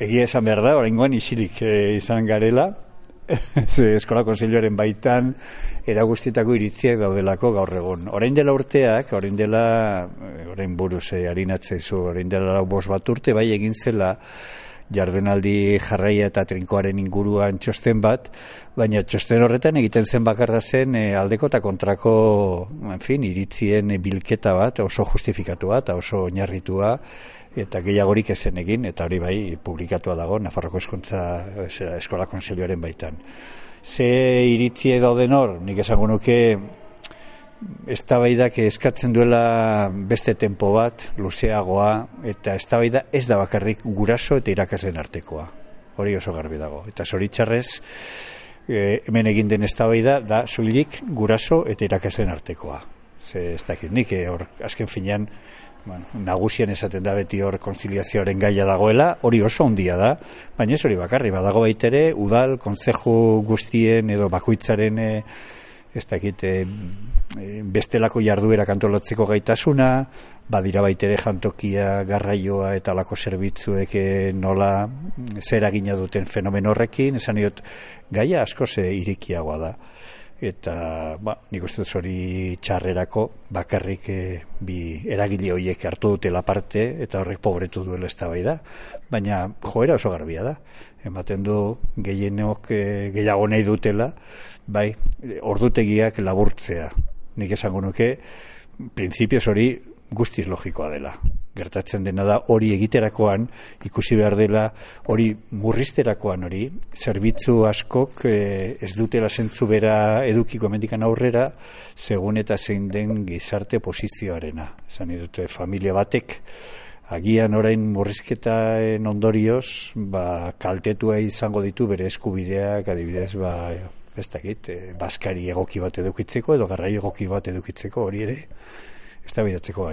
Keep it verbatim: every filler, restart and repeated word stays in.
Egia esan behar da, oraingoan isilik e, izan garela, ze eskola konseilioaren baitan eragustitako iritziak daudelako gaur egun. Orain dela urteak, orain dela, orain buruz e, harinatzezu, orain dela lau bost bat urte, bai egin zela jardunaldi jarraia eta trinkoaren inguruan txosten bat, baina txosten horretan egiten zen bakarra zen e, aldeko eta kontrako, en fin, iritzien bilketa bat, oso justifikatua eta oso oinarritua, eta gehiagorik ezen egin, eta hori bai publikatua dago Nafarroko Hezkuntza Eskola Konseilioaren baitan. Ze iritzie dauden hor, nik esango nuke eztabaidak eskatzen duela beste tempo bat, luzeagoa, eta eztabaida ez da bakarrik guraso eta irakasleen artekoa. Hori oso garbi dago. Eta zoritxarrez, e, hemen egin den eztabaida da soilik guraso eta irakasleen artekoa. Ze ez dakit nik, e, hor azken finean, bueno, nagusien esaten da beti hor konziliazioaren gaia dagoela, hori oso handia da, baina ez hori bakarri, badago baitere, udal, kontzeju guztien edo bakoitzaren e, ez dakit, e, bestelako jarduera antolatzeko gaitasuna, badira baitere jantokia, garraioa eta alako zerbitzuek e, nola zer eragina duten fenomeno horrekin, esan diot, gaia asko ze irikiagoa da. Eta, ba, nik uste dut hori txarrerako bakarrik e, bi eragile horiek hartu dutela parte eta horrek pobretu duela eztabaida, baina joera oso garbia da. Ematen du gehienok e, gehiago nahi dutela, bai, ordutegiak laburtzea. Nik esango nuke, printzipioz hori guztiz logikoa dela. Gertatzen dena da hori egiterakoan, ikusi behar dela hori murrizterakoan hori, zerbitzu askok eh, ez dutela zentzu bera edukiko hemendikan aurrera, segun eta zein den gizarte posizioarena. Esan dute familia batek, agian orain murrizketaen ondorioz, ba, kaltetua izango ditu bere eskubideak, adibidez, ba, ez dakit, eh, baskari egoki bat edukitzeko edo garraio egoki bat edukitzeko hori ere, eztabaidatzeko gai.